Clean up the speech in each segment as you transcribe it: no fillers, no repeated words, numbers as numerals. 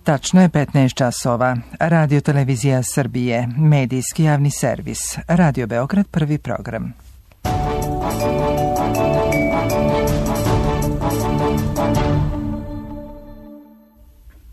Tačno je 15 časova. Radio Televizija Srbije, medijski javni servis. Radio Beograd, prvi program.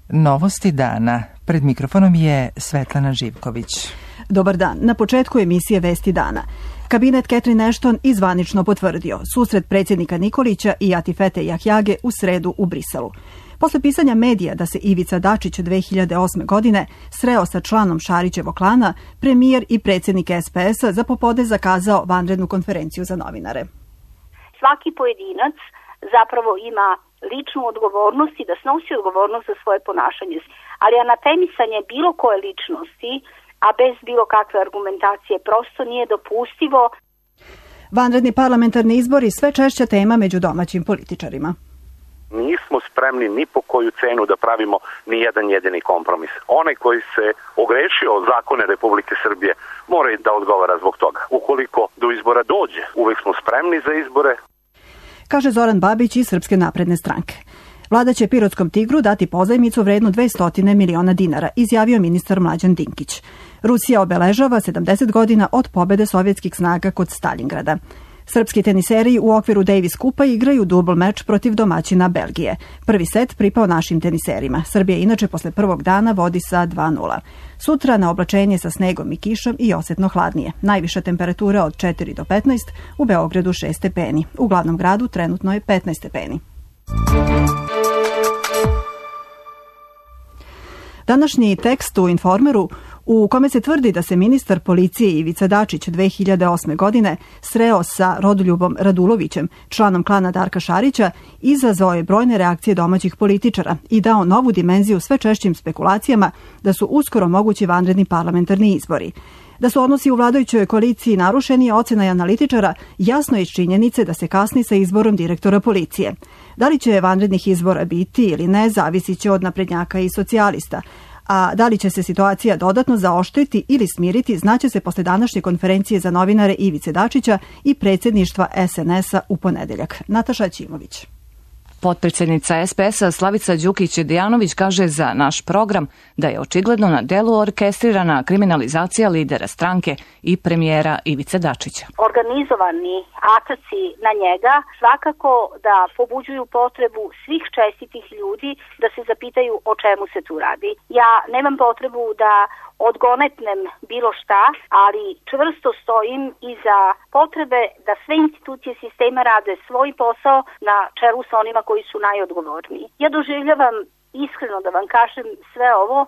Novosti dana. Pred mikrofonom je Svetlana Živković. Dobar dan. Na početku emisije Vesti dana. Kabinet Catherine Ashton izvanično potvrdio susret predsjednika Nikolića i Atifete Jahjage u sredu u Briselu. Posle pisanja medija da se Ivica Dačić 2008. godine sreo sa članom Šarićevog klana, premijer i predsjednik SPS-a za popodne zakazao vanrednu konferenciju za novinare. Svaki pojedinac zapravo ima ličnu odgovornost i da snosi odgovornost za svoje ponašanje. Ali anatemisanje bilo koje ličnosti, a bez bilo kakve argumentacije, prosto nije dopustivo. Vanredni parlamentarni izbori sve češća tema među domaćim političarima. Nismo spremni ni po koju cenu da pravimo ni jedan jedini kompromis. Onaj koji se ogrešio o zakone Republike Srbije mora i da odgovara zbog toga. Ukoliko do izbora dođe, uvek smo spremni za izbore. Kaže Zoran Babić iz Srpske napredne stranke. Vlada će Pirotskom Tigru dati pozajmicu vrednu 200 miliona dinara, izjavio ministar Mlađan Dinkić. Rusija obeležava 70 godina od pobede sovjetskih snaga kod Stalingrada. Srpski teniseri u okviru Davis Kupa igraju dubl meč protiv domaćina Belgije. Prvi set pripao našim teniserima. Srbija inače posle prvog dana vodi sa 2:0. Sutra na oblačenje sa snegom i kišom i osetno hladnije. Najviša temperatura od 4 do 15, u Beogradu 6 stepeni. U glavnom gradu trenutno je 15 stepeni. Današnji tekst u Informeru u kome se tvrdi da se ministar policije Ivica Dačić 2008. godine sreo sa Rodoljubom Radulovićem, članom klana Darka Šarića, izazvao je brojne reakcije domaćih političara i dao novu dimenziju sve češćim spekulacijama da su uskoro mogući vanredni parlamentarni izbori. Da su odnosi u vladajućoj koaliciji narušeni je ocena analitičara jasno iz činjenice da se kasni sa izborom direktora policije. Da li će vanrednih izbora biti ili ne, zavisit će od naprednjaka i socijalista. A da li će se situacija dodatno zaoštriti ili smiriti, znaće se posle današnje konferencije za novinare Ivice Dačića i predsjedništva SNS-a u ponedeljak. Nataša Ćimović. Potpredsjednica SPS-a Slavica Đukić-Dejanović kaže za naš program da je očigledno na delu orkestrirana kriminalizacija lidera stranke i premijera Ivice Dačića. Organizovani ataci na njega svakako da pobuđuju potrebu svih čestitih ljudi da se zapitaju o čemu se tu radi. Ja nemam potrebu da odgonetnem bilo šta, ali čvrsto stojim iza potrebe da sve institucije sistema rade svoj posao na čelu sa onima koji su najodgovorniji. Ja doživljavam, iskreno da vam kažem, sve ovo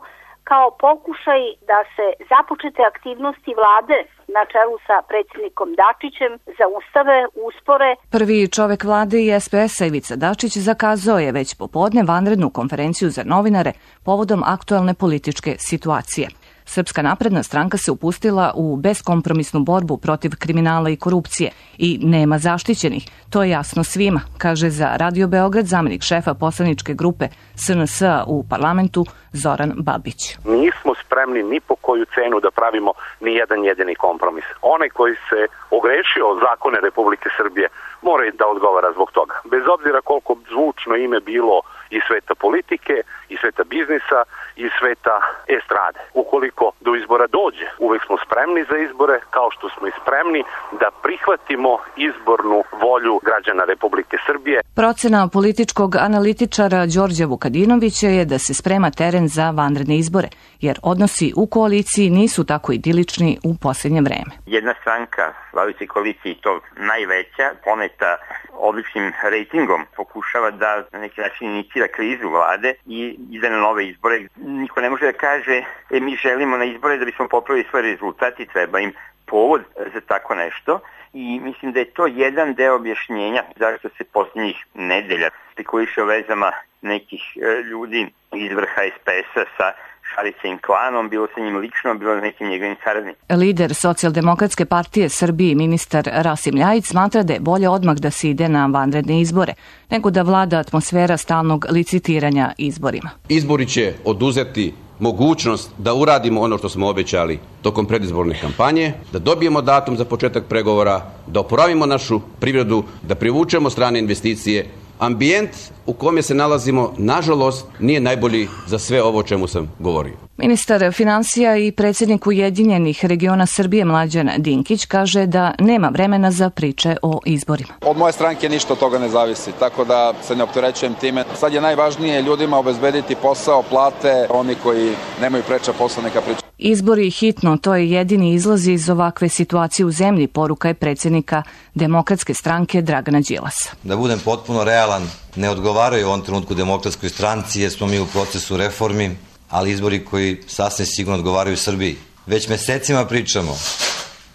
kao pokušaj da se započete aktivnosti vlade na čelu sa predsjednikom Dačićem zaustave, uspore. Prvi čovek vlade i SPS-a Ivica Dačić zakazao je već popodne vanrednu konferenciju za novinare povodom aktualne političke situacije. Srpska napredna stranka se upustila u beskompromisnu borbu protiv kriminala i korupcije i nema zaštićenih. To je jasno svima, kaže za Radio Beograd zamenik šefa poslaničke grupe SNS-a u parlamentu Zoran Babić. Nismo spremni ni po koju cenu da pravimo ni jedan jedini kompromis. Onaj koji se ogrešio o zakone Republike Srbije mora i da odgovara zbog toga. Bez obzira koliko zvučno ime bilo iz sveta politike, iz sveta biznisa, iz sveta estrade. Ukoliko do izbora dođe, uvek smo spremni za izbore, kao što smo i spremni da prihvatimo izbornu volju građana Republike Srbije. Procena političkog analitičara Đorđa Vukadinovića je da se sprema teren za vanredne izbore, jer odnosi u koaliciji nisu tako idilični u posljednje vreme. Jedna stranka vladajućoj koaliciji, i to najveća, poneta odličnim rejtingom, pokušava da na neki način inicira krizu vlade i ide na nove izbore. Niko ne može da kaže mi želimo na izbore da bismo popravili svoj rezultat i treba im povod za tako nešto. I mislim da je to jedan deo objašnjenja zašto se posljednjih nedelja spekuliše o vezama nekih ljudi iz vrha SPS-a sa Šarićevim klanom, bilo sa njim lično, bilo sa nekim njegovim saradnicima. Lider Socijaldemokratske partije Srbije, ministar Rasim Ljajić, smatra da je bolje odmah da se ide na vanredne izbore, nego da vlada atmosfera stalnog licitiranja izborima. Izbori će oduzeti mogućnost da uradimo ono što smo obećali tokom predizborne kampanje, da dobijemo datum za početak pregovora, da oporavimo našu privredu, da privučemo strane investicije, ambijent u kome se nalazimo, nažalost, nije najbolji za sve ovo o čemu sam govorio. Ministar finansija i predsjednik Ujedinjenih regiona Srbije Mlađan Dinkić kaže da nema vremena za priče o izborima. Od moje stranke ništa od toga ne zavisi, tako da se ne opterećujem time. Sad je najvažnije ljudima obezbediti posao, plate, oni koji nemaju preča posla neka priča. Izbori hitno, to je jedini izlaz iz ovakve situacije u zemlji, poruka je predsjednika Demokratske stranke Dragana Đilasa. Da budem potpuno realan, ne odgovaraju u ovom trenutku Demokratskoj stranci jer smo mi u procesu reformi, ali izbori koji sasvim sigurno odgovaraju Srbiji. Već mesecima pričamo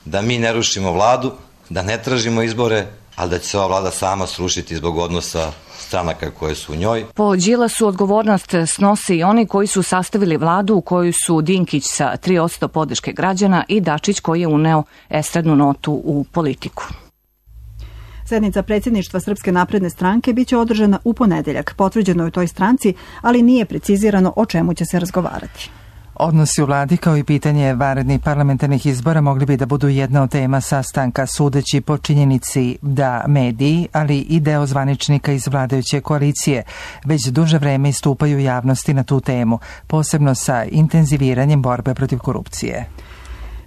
da mi ne rušimo vladu, da ne tražimo izbore, ali da će se ova vlada sama srušiti zbog odnosa stranaka koje su u njoj. Po Đilasu odgovornost snose i oni koji su sastavili vladu u kojoj su Dinkić sa 3% podrške građana i Dačić koji je uneo estradnu notu u politiku. Sednica predsjedništva Srpske napredne stranke biće održana u ponedeljak. Potvrđeno je u toj stranci, ali nije precizirano o čemu će se razgovarati. Odnosi u vladi kao i pitanje vanrednih parlamentarnih izbora mogli bi da budu jedna od tema sastanka, sudeći po činjenici da mediji, ali i deo zvaničnika iz vladajuće koalicije već duže vreme istupaju javnosti na tu temu, posebno sa intenziviranjem borbe protiv korupcije.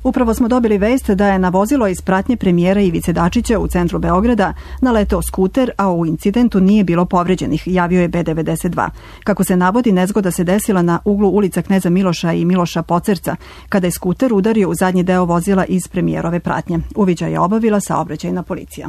Upravo smo dobili vest da je na vozilo iz pratnje premijera Ivice Dačića u centru Beograda naleteo skuter, a u incidentu nije bilo povređenih, javio je B92. Kako se navodi, nezgoda se desila na uglu ulica Kneza Miloša i Miloša Pocerca, kada je skuter udario u zadnji deo vozila iz premijerove pratnje. Uviđaj je obavila saobraćajna policija.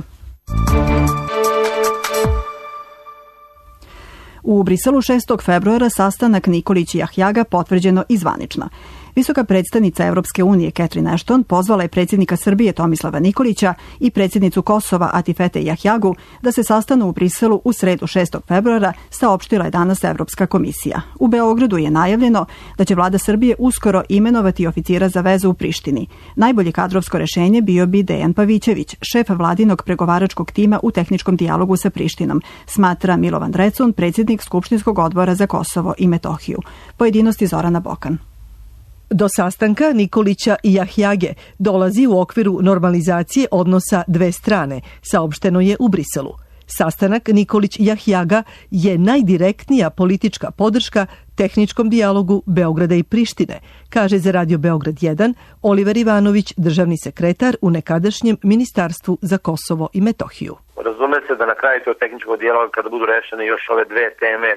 U Briselu 6. februara sastanak Nikolić i Jahjaga potvrđeno i zvanično. Visoka predstavnica Evropske unije Catherine Ashton pozvala je predsjednika Srbije Tomislava Nikolića i predsjednicu Kosova Atifete Jahjagu da se sastanu u Briselu u sredu 6. februara, saopštila je danas Evropska komisija. U Beogradu je najavljeno da će vlada Srbije uskoro imenovati oficira za vezu u Prištini. Najbolje kadrovsko rešenje bio bi Dejan Pavićević, šef vladinog pregovaračkog tima u tehničkom dijalogu sa Prištinom, smatra Milovan Drecun, predsjednik Skupštinskog odbora za Kosovo i Metohiju. Pojedinosti Zorana Bokan. Do sastanka Nikolića i Jahjage dolazi u okviru normalizacije odnosa dve strane, saopšteno je u Briselu. Sastanak Nikolić-Jahjaga je najdirektnija politička podrška tehničkom dijalogu Beograda i Prištine, kaže za Radio Beograd 1 Oliver Ivanović, državni sekretar u nekadašnjem Ministarstvu za Kosovo i Metohiju. Razume se da na kraju tog tehničkog dijaloga, kada budu rešene još ove dve teme,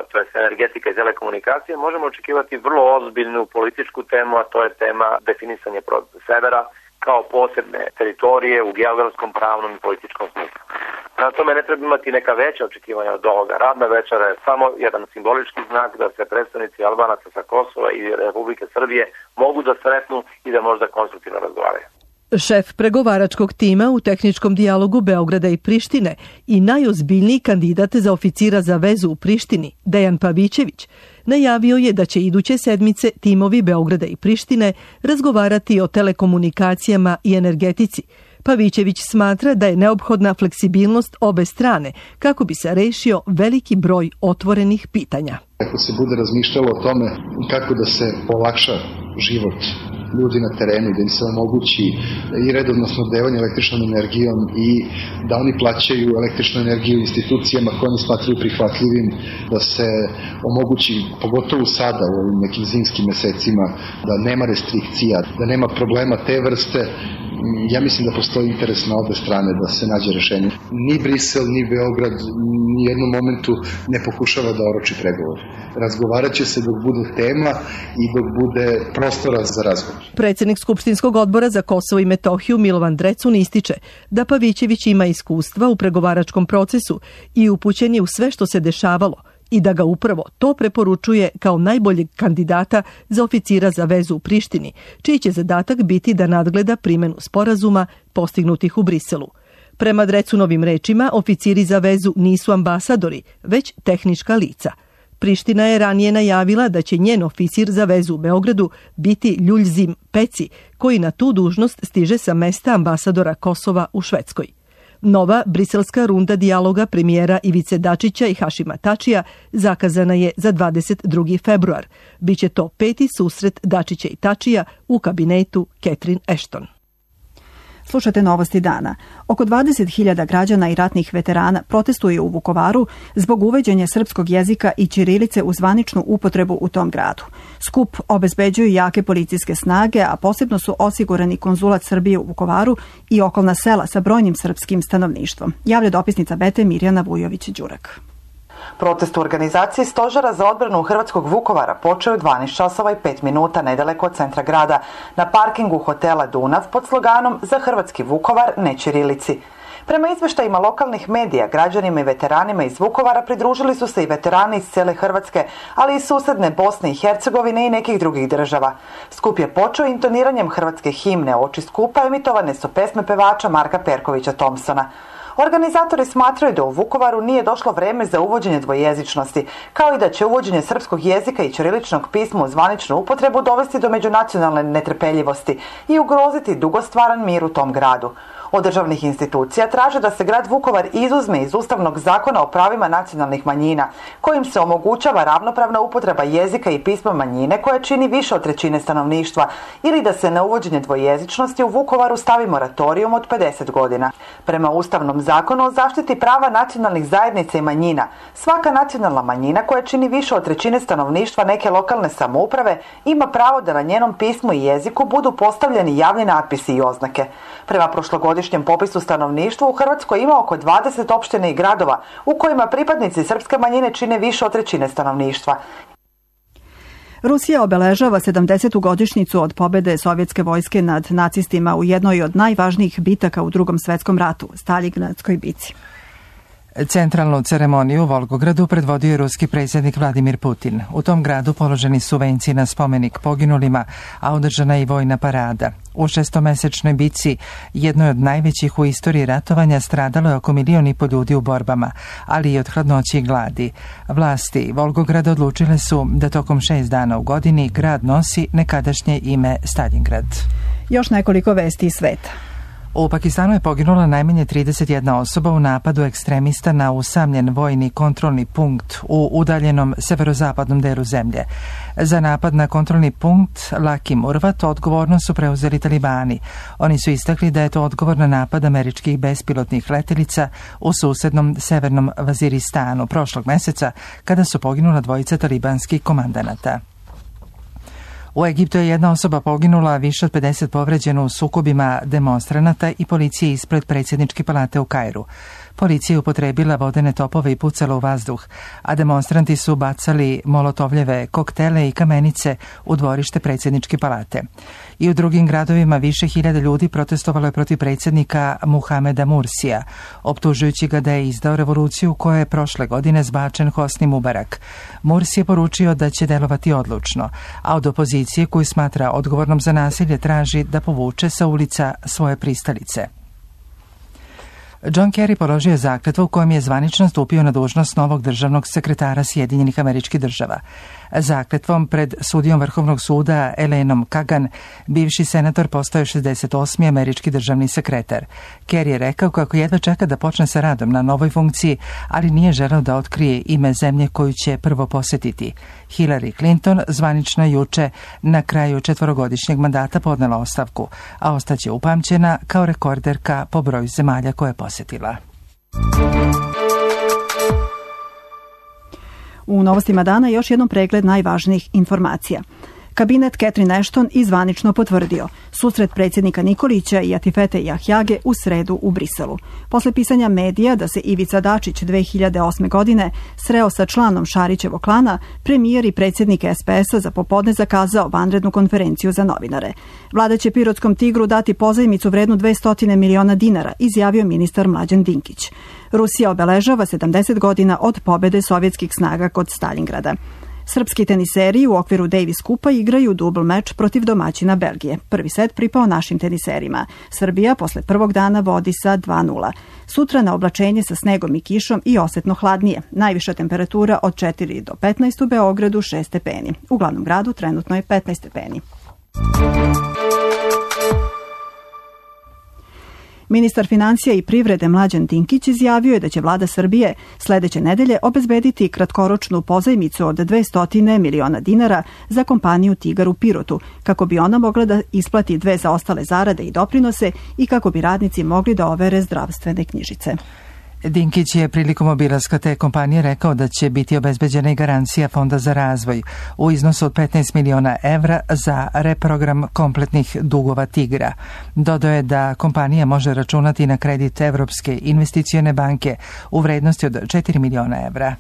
to je energetika i telekomunikacije, možemo očekivati vrlo ozbiljnu političku temu, a to je tema definisanja severa kao posebne teritorije u geografskom, pravnom i političkom smislu. Na tome ne treba imati neka veća očekivanja od ovoga. Radna večera je samo jedan simbolički znak da se predstavnici Albanaca sa Kosova i Republike Srbije mogu da sretnu i da možda konstruktivno razgovaraju. Šef pregovaračkog tima u tehničkom dijalogu Beograda i Prištine i najozbiljniji kandidat za oficira za vezu u Prištini, Dejan Pavićević, najavio je da će iduće sedmice timovi Beograda i Prištine razgovarati o telekomunikacijama i energetici. Pavićević smatra da je neophodna fleksibilnost obe strane kako bi se rešio veliki broj otvorenih pitanja. Ako se bude razmišljalo o tome kako da se olakša život ljudi na terenu, da im se omogući i redovno snabdevanje električnom energijom i da oni plaćaju električnu energiju institucijama koje oni smatraju prihvatljivim, da se omogući, pogotovo sada u ovim nekim zimskim mesecima, da nema restrikcija, da nema problema te vrste. Ja mislim da postoji interes na obe strane da se nađe rešenje. Ni Brisel, ni Beograd ni jednom momentu ne pokušava da oroči pregovor. Razgovarat će se dok bude tema i dok bude prostora za razgovor. Predsjednik Skupštinskog odbora za Kosovo i Metohiju Milovan Drecun ističe da Pavićević ima iskustva u pregovaračkom procesu i upućen je u sve što se dešavalo i da ga upravo to preporučuje kao najboljeg kandidata za oficira za vezu u Prištini, čiji će zadatak biti da nadgleda primjenu sporazuma postignutih u Briselu. Prema Drecunovim rečima, oficiri za vezu nisu ambasadori, već tehnička lica. Priština je ranije najavila da će njen oficir za vezu u Beogradu biti Ljuljzim Peci, koji na tu dužnost stiže sa mesta ambasadora Kosova u Švedskoj. Nova briselska runda dijaloga premijera Ivice Dačića i Hašima Tačija zakazana je za 22. februar. Biće to peti susret Dačića i Tačija u kabinetu Catherine Ashton. Slušate Novosti dana. Oko 20.000 građana i ratnih veterana protestuje u Vukovaru zbog uvođenja srpskog jezika i ćirilice u zvaničnu upotrebu u tom gradu. Skup obezbeđuju jake policijske snage, a posebno su osigurani konzulat Srbije u Vukovaru i okolna sela sa brojnim srpskim stanovništvom. Javlja dopisnica Bete Mirjana Vujović-Đurak. Protest u organizaciji Stožera za odbranu Hrvatskog Vukovara počeo je 12 časova i 5 minuta nedaleko od centra grada, na parkingu hotela Dunav pod sloganom Za Hrvatski Vukovar, ne ćirilici. Prema izveštajima lokalnih medija, građanima i veteranima iz Vukovara pridružili su se i veterani iz cijele Hrvatske, ali i susedne Bosne i Hercegovine i nekih drugih država. Skup je počeo intoniranjem hrvatske himne. Oči skupa emitovane su pesme pevača Marka Perkovića Thompsona. Organizatori smatraju da u Vukovaru nije došlo vreme za uvođenje dvojezičnosti, kao i da će uvođenje srpskog jezika i ćiriličnog pisma u zvaničnu upotrebu dovesti do međunacionalne netrpeljivosti i ugroziti dugostvaran mir u tom gradu. Od državnih institucija traže da se grad Vukovar izuzme iz Ustavnog zakona o pravima nacionalnih manjina, kojim se omogućava ravnopravna upotreba jezika i pisma manjine koja čini više od 1/3 stanovništva, ili da se na uvođenje dvojezičnosti u Vukovaru stavi moratorijum od 50 godina. Prema Ustavnom zakonu o zaštiti prava nacionalnih zajednica i manjina, svaka nacionalna manjina koja čini više od 1/3 stanovništva neke lokalne samouprave ima pravo da na njenom pismu i jeziku budu postavljeni javni natpisi i oznake. Prema prošlogodišnjem popisu stanovništva u Hrvatskoj ima oko 20 opština i gradova u kojima pripadnici srpske manjine čine više od 1/3 stanovništva. Rusija obeležava 70. godišnjicu od pobede sovjetske vojske nad nacistima u jednoj od najvažnijih bitaka u Drugom svetskom ratu, Staljingradskoj bici. Centralnu ceremoniju u Volgogradu predvodio je ruski predsjednik Vladimir Putin. U tom gradu položeni su venci na spomenik poginulima, a održana je i vojna parada. U 6-mesečnoj bici, jednoj od najvećih u istoriji ratovanja, stradalo je oko 1,5 miliona ljudi u borbama, ali i od hladnoće i gladi. Vlasti Volgograda odlučile su da tokom 6 dana u godini grad nosi nekadašnje ime Staljingrad. Još nekoliko vesti iz sveta. U Pakistanu je poginula najmanje 31 osoba u napadu ekstremista na usamljen vojni kontrolni punkt u udaljenom severozapadnom delu zemlje. Za napad na kontrolni punkt Laki Murvat odgovornost su preuzeli talibani. Oni su istakli da je to odgovor na napad američkih bespilotnih letelica u susednom severnom Vaziristanu prošlog meseca, kada su poginula 2 talibanskih komandanata. U Egiptu je 1 osoba poginula, više od 50 povređeno u sukobima demonstranata i policije ispred predsjedničke palate u Kairu. Policija je upotrebila vodene topove i pucala u vazduh, a demonstranti su bacali molotovljeve koktele i kamenice u dvorište predsjedničke palate. I u drugim gradovima više hiljada ljudi protestovalo je protiv predsjednika Muhameda Mursija, optužujući ga da je izdao revoluciju koja je prošle godine zbačen Hosni Mubarak. Mursi je poručio da će delovati odlučno, a od opozicije koju smatra odgovornom za nasilje traži da povuče sa ulica svoje pristalice. John Kerry položio je zakletvu u kojem je zvanično stupio na dužnost novog državnog sekretara Sjedinjenih Američkih Država. Zakletvom pred sudijom Vrhovnog suda Elenom Kagan, bivši senator postao je 68. američki državni sekretar. Kerry je rekao kako jedva čeka da počne sa radom na novoj funkciji, ali nije želeo da otkrije ime zemlje koju će prvo posjetiti. Hillary Clinton zvanično juče na kraju 4-godišnjeg mandata podnela ostavku, a ostaće upamćena kao rekorderka po broju zemalja koje je posjetila. U novostima dana još jednom pregled najvažnijih informacija. Kabinet Catherine Ashton izvanično potvrdio susret predsjednika Nikolića i Atifete Jahjage u sredu u Briselu. Posle pisanja medija da se Ivica Dačić 2008. godine sreo sa članom Šarićevog klana, premijer i predsjednik SPS-a za popodne zakazao vanrednu konferenciju za novinare. Vlada će Pirotskom Tigru dati pozajmicu vrednu 200 miliona dinara, izjavio ministar Mlađan Dinkić. Rusija obeležava 70 godina od pobede sovjetskih snaga kod Staljingrada. Srpski teniseri u okviru Davis Kupa igraju dubl meč protiv domaćina Belgije. Prvi set pripao našim teniserima. Srbija posle prvog dana vodi sa 2:0. Sutra na oblačenje sa snegom i kišom i osetno hladnije. Najviša temperatura od 4 do 15 u Beogradu 6 stepeni. U glavnom gradu trenutno je 15 stepeni. Ministar financija i privrede Mlađan Dinkić izjavio je da će vlada Srbije sledeće nedelje obezbediti kratkoročnu pozajmicu od 200 miliona dinara za kompaniju Tigar u Pirotu, kako bi ona mogla da isplati 2 zaostale zarade i doprinose i kako bi radnici mogli da overe zdravstvene knjižice. Dinkić je prilikom obilaska te kompanije rekao da će biti obezbeđena i garancija Fonda za razvoj u iznosu od 15 miliona evra za reprogram kompletnih dugova Tigra. Dodao je da kompanija može računati na kredit Evropske investicione banke u vrednosti od 4 miliona evra.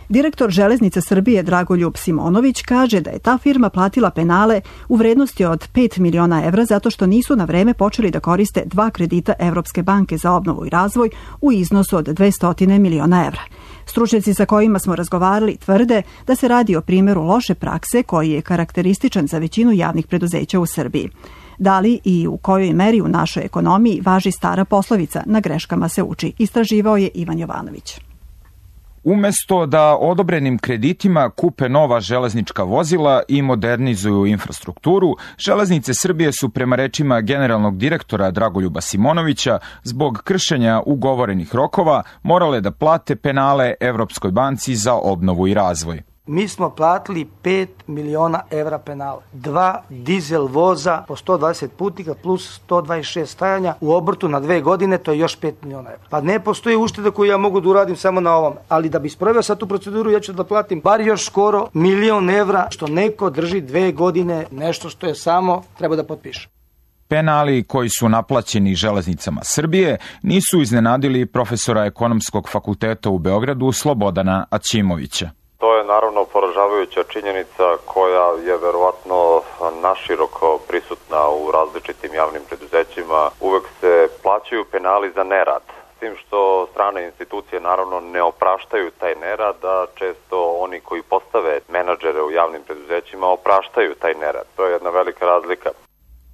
Direktor Železnica Srbije Dragoljub Simonović kaže da je ta firma platila penale u vrednosti od 5 miliona evra zato što nisu na vreme počeli da koriste 2 kredita Evropske banke za obnovu i razvoj u iznosu od 200 miliona evra. Stručnjaci sa kojima smo razgovarali tvrde da se radi o primjeru loše prakse koji je karakterističan za većinu javnih preduzeća u Srbiji. Da li i u kojoj meri u našoj ekonomiji važi stara poslovica "na greškama se uči", istraživao je Ivan Jovanović. Umesto da odobrenim kreditima kupe nova železnička vozila i modernizuju infrastrukturu, Železnice Srbije su prema rečima generalnog direktora Dragoljuba Simonovića zbog kršenja ugovorenih rokova morale da plate penale Evropskoj banci za obnovu i razvoj. Mi smo platili 5 miliona evra penala. 2 dizel voza po 120 putnika plus 126 stajanja u obrtu na 2 godine, to je još 5 miliona evra. Pa ne postoji ušteda koju ja mogu da uradim samo na ovom. Ali da bi sproveo sad tu proceduru, ja ću da platim bar još skoro 1 milion evra, što neko drži 2 godine, nešto što je samo treba da potpiše. Penali koji su naplaćeni Železnicama Srbije nisu iznenadili profesora Ekonomskog fakulteta u Beogradu Slobodana Aćimovića. To je naravno poražavajuća činjenica koja je verovatno naširoko prisutna u različitim javnim preduzećima. Uvek se plaćaju penali za nerad, s tim što strane institucije naravno ne opraštaju taj nerad, a često oni koji postave menadžere u javnim preduzećima opraštaju taj nerad. To je jedna velika razlika.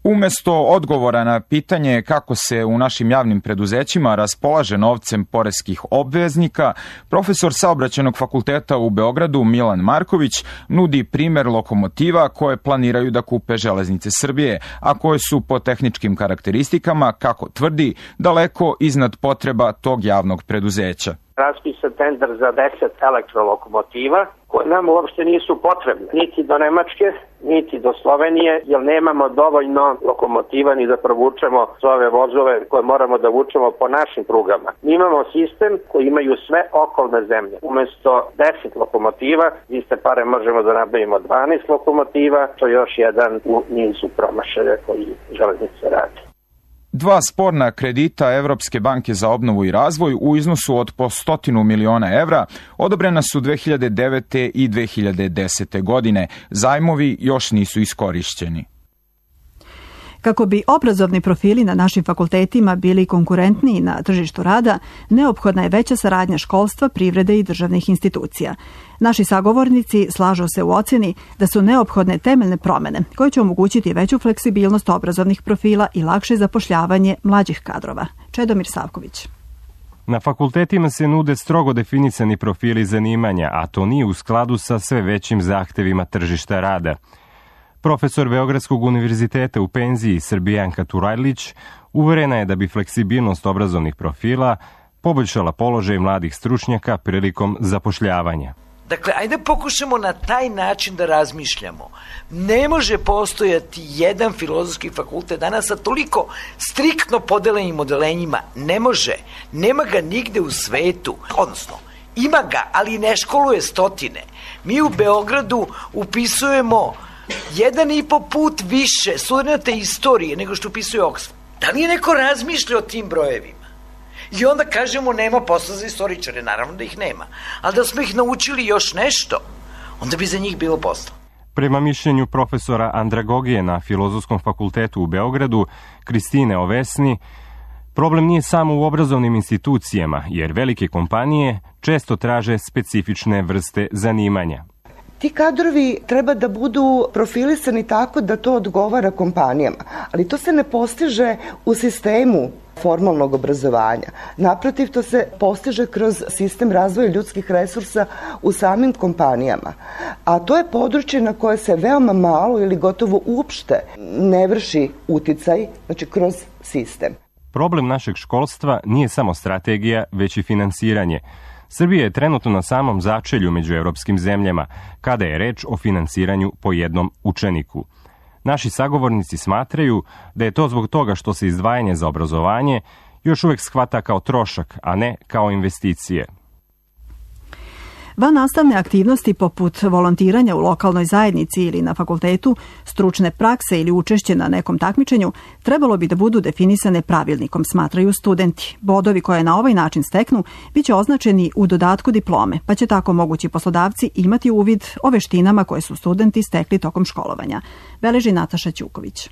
Umesto odgovora na pitanje kako se u našim javnim preduzećima raspolaže novcem poreskih obveznika, profesor Saobraćajnog fakulteta u Beogradu Milan Marković nudi primer lokomotiva koje planiraju da kupe Železnice Srbije, a koje su po tehničkim karakteristikama, kako tvrdi, daleko iznad potreba tog javnog preduzeća. Raspisan tender za 10 elektrolokomotiva koje nam uopšte nisu potrebne, niti do Nemačke, niti do Slovenije, jer nemamo dovoljno lokomotiva ni da provučemo ove vozove koje moramo da vučemo po našim prugama. Mi imamo sistem koji imaju sve okolne zemlje. Umesto 10 lokomotiva, iste pare možemo da nabavimo 12 lokomotiva, to je još jedan u nizu promašaja koji Železnice radi. 2 sporna kredita Evropske banke za obnovu i razvoj u iznosu od po 100 miliona evra odobrena su 2009. i 2010. godine. Zajmovi još nisu iskorišćeni. Kako bi obrazovni profili na našim fakultetima bili konkurentniji na tržištu rada, neophodna je veća saradnja školstva, privrede i državnih institucija. Naši sagovornici slažu se u ocjeni da su neophodne temeljne promene koje će omogućiti veću fleksibilnost obrazovnih profila i lakše zapošljavanje mlađih kadrova. Čedomir Savković. Na fakultetima se nude strogo definisani profili zanimanja, a to nije u skladu sa sve većim zahtevima tržišta rada. Profesor Beogradskog univerziteta u penziji Srbijanka Turajlić uverena je da bi fleksibilnost obrazovnih profila poboljšala položaj mladih stručnjaka prilikom zapošljavanja. Dakle, ajde pokušamo na taj način da razmišljamo. Ne može postojati jedan filozofski fakultet danas sa toliko striktno podelenim odelenjima. Ne može. Nema ga nigde u svetu. Odnosno, ima ga, ali ne školuje stotine. Mi u Beogradu upisujemo 1,5 put više studenta istorije nego što upisuje Oxford. Da li je neko razmišlja o tim brojevima? I onda kažemo nema posla za istoričare, naravno da ih nema. Ali da smo ih naučili još nešto, onda bi za njih bilo posla. Prema mišljenju profesora Andragogije na Filozofskom fakultetu u Beogradu, Kristine Ovesni, problem nije samo u obrazovnim institucijama, jer velike kompanije često traže specifične vrste zanimanja. Ti kadrovi treba da budu profilisani tako da to odgovara kompanijama, ali to se ne postiže u sistemu formalnog obrazovanja. Naprotiv, to se postiže kroz sistem razvoja ljudskih resursa u samim kompanijama. A to je područje na koje se veoma malo ili gotovo uopšte ne vrši uticaj, znači kroz sistem. Problem našeg školstva nije samo strategija, već i finansiranje. Srbija je trenutno na samom začelju među evropskim zemljama, kada je reč o finansiranju po jednom učeniku. Naši sagovornici smatraju da je to zbog toga što se izdvajanje za obrazovanje još uvek shvata kao trošak, a ne kao investicije. Vannastavne aktivnosti poput volontiranja u lokalnoj zajednici ili na fakultetu, stručne prakse ili učešće na nekom takmičenju trebalo bi da budu definisane pravilnikom, smatraju studenti. Bodovi koje na ovaj način steknu biće označeni u dodatku diplome, pa će tako mogući poslodavci imati uvid o veštinama koje su studenti stekli tokom školovanja. Beleži Nataša Ćuković.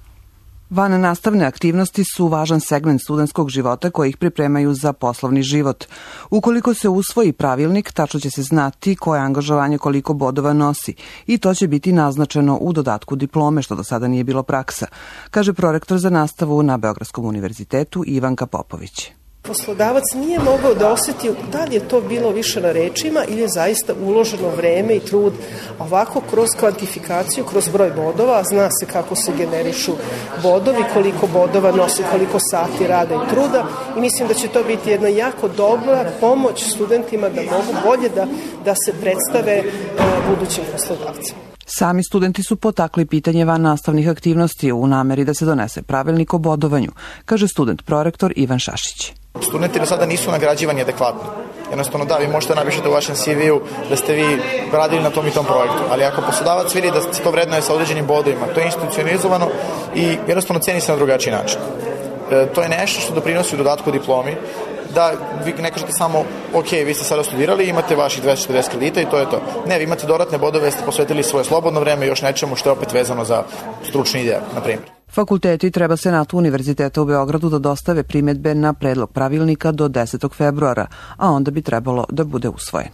Vannastavne aktivnosti su važan segment studentskog života koji ih pripremaju za poslovni život. Ukoliko se usvoji pravilnik, tačno će se znati koje angažovanje koliko bodova nosi i to će biti naznačeno u dodatku diplome, što do sada nije bilo praksa, kaže prorektor za nastavu na Beogradskom univerzitetu Ivanka Popović. Poslodavac nije mogao da osjeti da li je to bilo više na rečima ili je zaista uloženo vreme i trud. Ovako, kroz kvantifikaciju, kroz broj bodova, zna se kako se generišu bodovi, koliko bodova nosi, koliko sati rada i truda i mislim da će to biti jedna jako dobra pomoć studentima da mogu bolje da se predstave budućim poslodavcima. Sami studenti su potakli pitanje vannastavnih aktivnosti u nameri da se donese pravilnik o bodovanju, kaže student prorektor Ivan Šašić. Studenti do sada nisu nagrađivani adekvatno. Jednostavno da, vi možete napišete u vašem CV-u da ste vi radili na tom i tom projektu, ali ako poslodavac vidi da se to vrednuje sa određenim bodovima, to je institucionalizovano i jednostavno ceni se na drugačiji način. To je nešto što doprinosi u dodatku diplomi, da vi ne kažete samo, ok, vi ste sada studirali, imate vaših 240 kredita i to je to. Ne, vi imate dodatne bodove, ste posvetili svoje slobodno vreme i još nečemu što je opet vezano za stručni ideja, na primjer. Fakulteti treba Senatu Univerziteta u Beogradu da dostave primjedbe na predlog pravilnika do 10. februara, a onda bi trebalo da bude usvojen.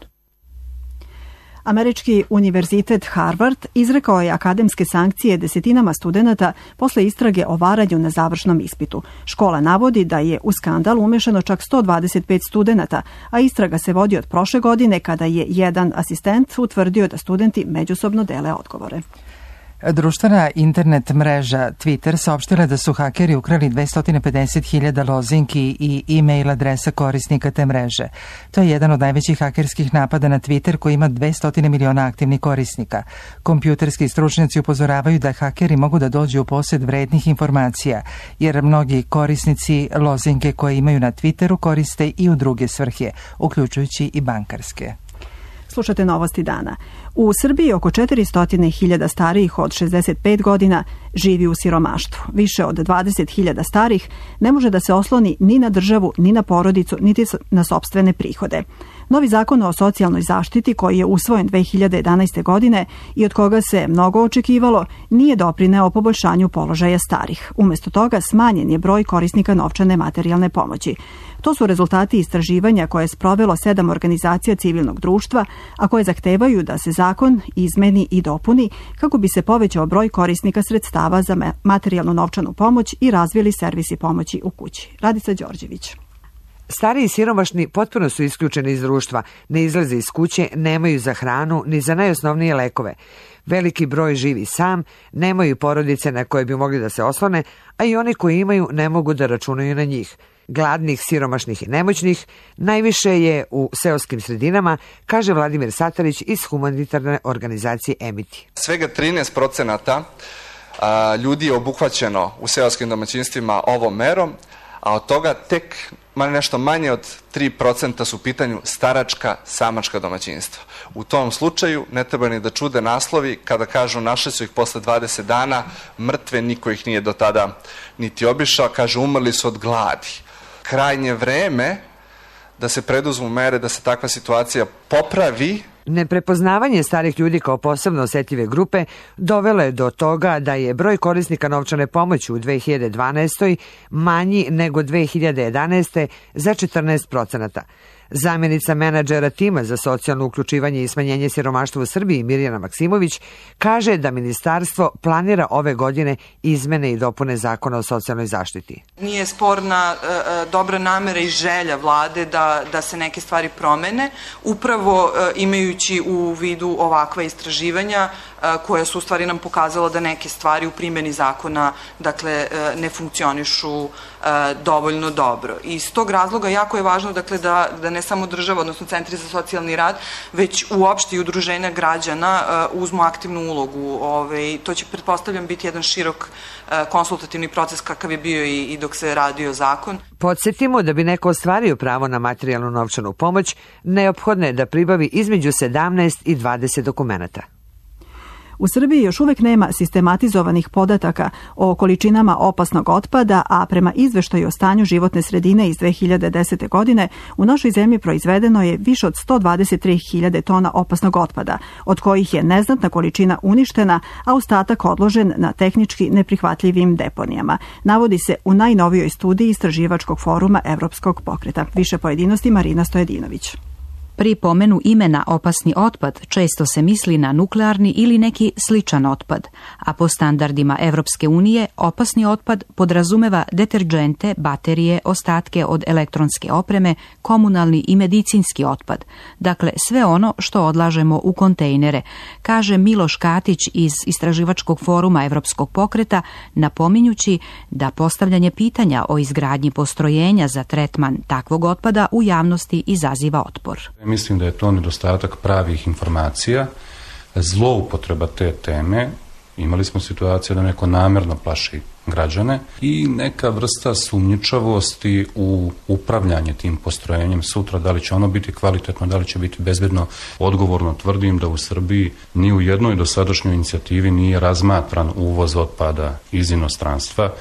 Američki univerzitet Harvard izrekao je akademske sankcije desetinama studenata posle istrage o varanju na završnom ispitu. Škola navodi da je u skandal umešano čak 125 studenata, a istraga se vodi od prošle godine kada je jedan asistent utvrdio da studenti međusobno dele odgovore. Društvena internet mreža Twitter saopštila da su hakeri ukrali 250.000 lozinki i e-mail adresa korisnika te mreže. To je jedan od najvećih hakerskih napada na Twitter koji ima 200 miliona aktivnih korisnika. Kompjuterski stručnjaci upozoravaju da hakeri mogu da dođu u posjed vrednih informacija, jer mnogi korisnici lozinke koje imaju na Twitteru koriste i u druge svrhe, uključujući i bankarske. Slušate Novosti dana. U Srbiji oko 400.000 starijih od 65 godina živi u siromaštvu. Više od 20.000 starih ne može da se osloni ni na državu, ni na porodicu, niti na sopstvene prihode. Novi zakon o socijalnoj zaštiti, koji je usvojen 2011. godine i od koga se mnogo očekivalo, nije doprineo poboljšanju položaja starih. Umesto toga smanjen je broj korisnika novčane materijalne pomoći. To su rezultati istraživanja koje je sprovelo 7 organizacija civilnog društva, a koje zahtevaju da se zakon izmeni i dopuni kako bi se povećao broj korisnika sredstava za materijalnu novčanu pomoć i razvili servisi pomoći u kući. Radica Đorđević. Stari i siromašni potpuno su isključeni iz društva, ne izlaze iz kuće, nemaju za hranu ni za najosnovnije lekove. Veliki broj živi sam, nemaju porodice na koje bi mogli da se oslone, a i oni koji imaju ne mogu da računaju na njih. Gladnih, siromašnih i nemoćnih najviše je u seoskim sredinama, kaže Vladimir Satarić iz humanitarne organizacije Emiti. Svega 13% ljudi je obuhvaćeno u seoskim domaćinstvima ovom merom, a od toga tek nešto manje od 3% su u pitanju staračka, samačka domaćinstva. U tom slučaju ne treba ni da čude naslovi kada kažu našli su ih posle 20 dana, mrtve, niko ih nije do tada niti obišao, kaže umrli su od gladi. Krajnje vreme da se preduzmu mere da se takva situacija popravi. Neprepoznavanje starih ljudi kao posebno osetljive grupe dovelo je do toga da je broj korisnika novčane pomoći u 2012. manji nego 2011. za 14%. Zamjenica menadžera tima za socijalno uključivanje i smanjenje siromaštva u Srbiji Mirjana Maksimović kaže da ministarstvo planira ove godine izmene i dopune zakona o socijalnoj zaštiti. Nije sporna dobra namera i želja vlade da se neke stvari promene, upravo imajući u vidu ovakva istraživanja koja su u stvari nam pokazala da neke stvari u primjeni zakona dakle ne funkcionišu dovoljno dobro. I iz tog razloga jako je važno dakle da ne samo država, odnosno centri za socijalni rad, već uopšte i udruženja građana uzmu aktivnu ulogu. To će, pretpostavljam, biti jedan širok konsultativni proces kakav je bio i dok se radio zakon. Podsjetimo da bi neko ostvario pravo na materijalnu novčanu pomoć, neophodno je da pribavi između 17 i 20 dokumenata. U Srbiji još uvek nema sistematizovanih podataka o količinama opasnog otpada, a prema izveštaju o stanju životne sredine iz 2010. godine u našoj zemlji proizvedeno je više od 123.000 tona opasnog otpada, od kojih je neznatna količina uništena, a ostatak odložen na tehnički neprihvatljivim deponijama. Navodi se u najnovijoj studiji Istraživačkog foruma Evropskog pokreta. Više pojedinosti Marina Stojedinović. Pri pomenu imena opasni otpad često se misli na nuklearni ili neki sličan otpad, a po standardima Evropske unije opasni otpad podrazumeva deterđente, baterije, ostatke od elektronske opreme, komunalni i medicinski otpad. Dakle, sve ono što odlažemo u kontejnere, kaže Miloš Katić iz Istraživačkog foruma Evropskog pokreta, napominjući da postavljanje pitanja o izgradnji postrojenja za tretman takvog otpada u javnosti izaziva otpor. Mislim da je to nedostatak pravih informacija, zloupotreba te teme. Imali smo situaciju da neko namjerno plaši građane i neka vrsta sumnjičavosti u upravljanje tim postrojenjem sutra, da li će ono biti kvalitetno, da li će biti bezbedno. Odgovorno tvrdim da u Srbiji ni u jednoj dosadašnjoj inicijativi nije razmatran uvoz otpada iz inostranstva.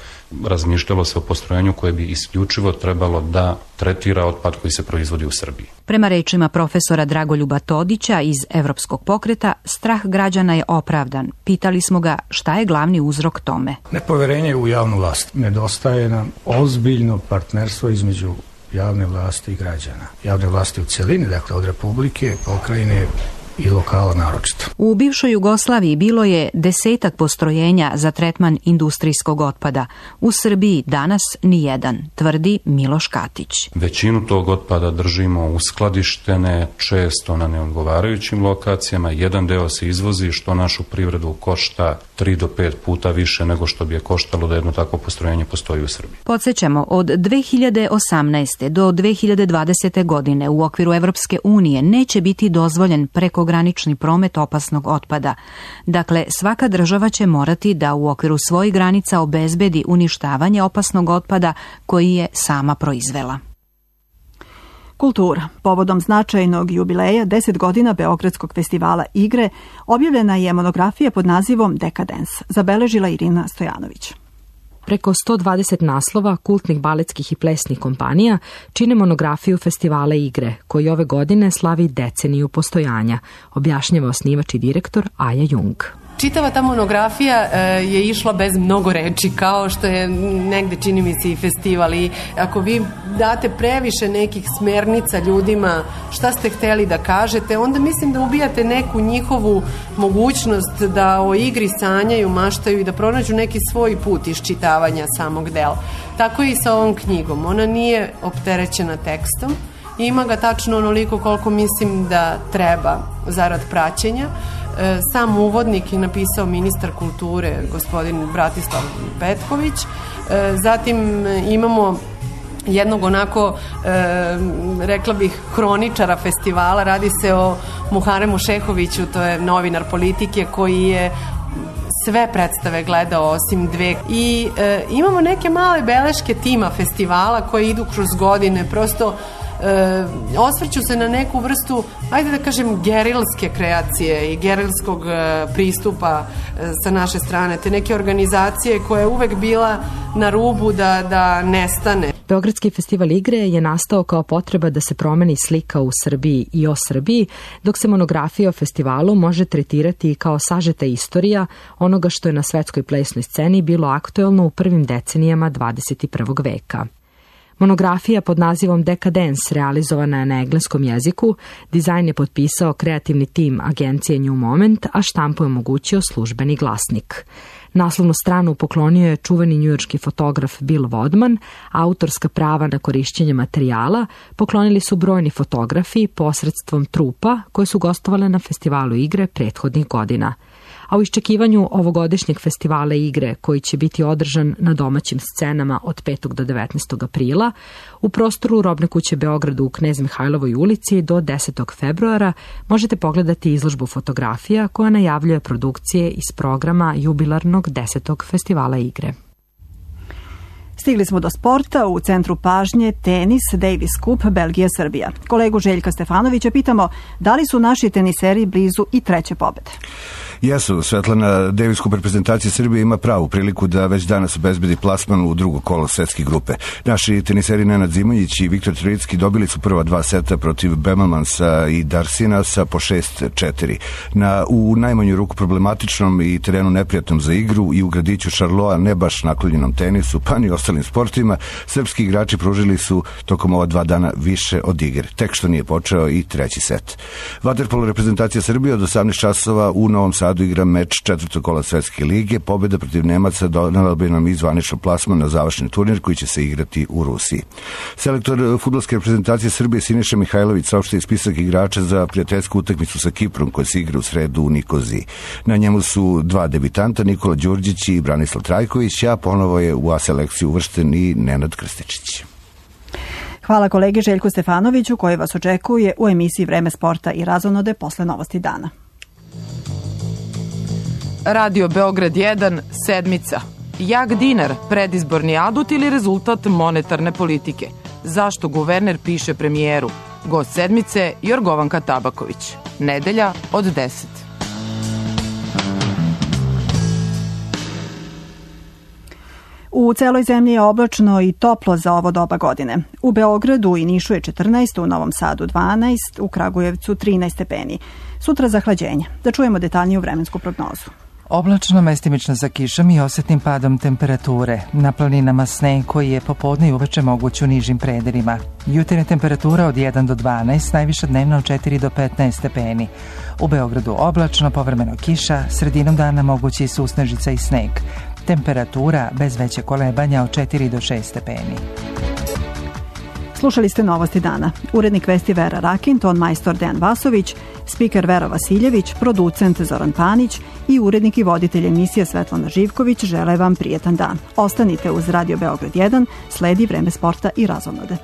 Razmišljalo se o postrojenju koje bi isključivo trebalo da tretira otpad koji se proizvodi u Srbiji. Prema rečima profesora Dragoljuba Todića iz Evropskog pokreta, strah građana je opravdan. Pitali smo ga šta je glavni uzrok tome. Nepoverenje u javnu vlast. Nedostaje nam ozbiljno partnerstvo između javne vlasti i građana. Javne vlasti u cjelini, dakle od Republike, pokrajine i lokala naročito. U bivšoj Jugoslaviji bilo je 10 postrojenja za tretman industrijskog otpada. U Srbiji danas nijedan, tvrdi Miloš Katić. Većinu tog otpada držimo uskladištene, često na neodgovarajućim lokacijama. Jedan deo se izvozi, što našu privredu košta 3 do 5 puta više nego što bi je koštalo da jedno takvo postrojenje postoji u Srbiji. Podsjećamo, od 2018. do 2020. godine u okviru Evropske unije neće biti dozvoljen prekogranični promet opasnog otpada. Dakle, svaka država će morati da u okviru svojih granica obezbedi uništavanje opasnog otpada koji je sama proizvela. Kultura. Povodom značajnog jubileja 10 godina Beogradskog festivala igre objavljena je monografija pod nazivom Dekadens, zabeležila Irina Stojanović. Preko 120 naslova kultnih baletskih i plesnih kompanija čine monografiju festivala igre, koji ove godine slavi deceniju postojanja, objašnjava osnivač i direktor Aja Jung. Čitava ta monografija je išla bez mnogo reči, kao što je negde, čini mi se, i festival. I ako vi date previše nekih smernica ljudima šta ste hteli da kažete, onda mislim da ubijate neku njihovu mogućnost da o igri sanjaju, maštaju i da pronađu neki svoj put iščitavanja samog dela. Tako i sa ovom knjigom. Ona nije opterećena tekstom. Ima ga tačno onoliko koliko mislim da treba zarad praćenja. Sam uvodnik je napisao ministar kulture, gospodin Bratislav Petković. Zatim imamo jednog onako, rekla bih, hroničara festivala. Radi se o Muharemu Šehoviću, to je novinar politike koji je sve predstave gledao osim 2. I imamo neke male beleške tima festivala koje idu kroz godine, prosto osvrću se na neku vrstu, ajde da kažem, gerilske kreacije i gerilskog pristupa sa naše strane, te neke organizacije koja je uvek bila na rubu da nestane. Beogradski festival igre je nastao kao potreba da se promeni slika u Srbiji i o Srbiji, dok se monografija o festivalu može tretirati kao sažeta istorija onoga što je na svetskoj plesnoj sceni bilo aktuelno u prvim decenijama 21. veka. Monografija pod nazivom Decadence realizovana je na engleskom jeziku, dizajn je potpisao kreativni tim agencije New Moment, a štampu je omogućio službeni glasnik. Naslovnu stranu poklonio je čuveni njujorški fotograf Bill Wadman, a autorska prava na korišćenje materijala poklonili su brojni fotografi posredstvom trupa koje su gostovale na festivalu igre prethodnih godina. a u iščekivanju ovogodišnjeg festivala igre koji će biti održan na domaćim scenama od 5. do 19. aprila u prostoru Robne kuće Beogradu u Knez Mihajlovoj ulici do 10. februara možete pogledati izložbu fotografija koja najavljuje produkcije iz programa jubilarnog 10. festivala igre. Stigli smo do sporta, u centru pažnje tenis, Davis Cup, Belgija, Srbija. Kolegu Željka Stefanovića pitamo da li su naši teniseri blizu i treće pobede. Jesu, Svetlana, Davis Cup reprezentacija Srbije ima pravu priliku da već danas obezbedi plasman u drugo kolo svetske grupe. Naši teniseri Nenad Zimonjić i Viktor Trojicki dobili su prva 2 seta protiv Bemelmansa i Darsinasa po 6-4. U najmanju ruku problematičnom i terenu neprijatnom za igru i u gradiću Šarloa ne baš naklonjenom tenisu, pa ni ostalim sportima, srpski igrači pružili su tokom ova 2 dana više od igre. Tek što nije počeo i treći set. Vaterpolo reprezentacija Srbije od 18 časova u Novom Sadu igra meč 4. kola Svetske lige. Pobjeda protiv Nemaca donela bi nam i zvaničan plasman na završni turnir koji će se igrati u Rusiji. Selektor fudbalske reprezentacije Srbije Siniša Mihajlović saopštio spisak igrača za prijateljsku utakmicu sa Kiprom koja se igra u sredu u Nikoziji. Na njemu su 2 debitanta, Nikola Đurđić i Branislav Trajković, a ponovo je u A selekciju uvršten i Nenad Krstičić. Hvala kolegi Željku Stefanoviću koji vas očekuje u emisiji Vreme sporta i razonode posle novosti dana. Radio Beograd 1, sedmica. Jak dinar, predizborni adut ili rezultat monetarne politike? Zašto guverner piše premijeru? Gost sedmice Jorgovanka Tabaković. Nedelja od 10. U celoj zemlji je oblačno i toplo za ovo doba godine. U Beogradu i Nišu je 14, u Novom Sadu 12, u Kragujevcu 13 stepeni. Sutra zahlađenje. Da čujemo detaljniju vremensku prognozu. Oblačno, mestimično sa kišom i osjetnim padom temperature. Na planinama sneg koji je popodne i uveče moguć u nižim predelima. Jutarnja temperatura od 1 do 12, najviša dnevna od 4 do 15 stepeni. U Beogradu oblačno, povremeno kiša, sredinom dana mogući i susnežica i sneg. Temperatura bez veće kolebanja od 4 do 6 stepeni. Slušali ste novosti dana. Urednik vesti Vera Rakin, ton majstor Dejan Vasović, spiker Vera Vasiljević, producent Zoran Panić i urednik i voditelj emisije Svetlana Živković žele vam prijetan dan. Ostanite uz Radio Beograd 1, sledi Vreme sporta i razonode.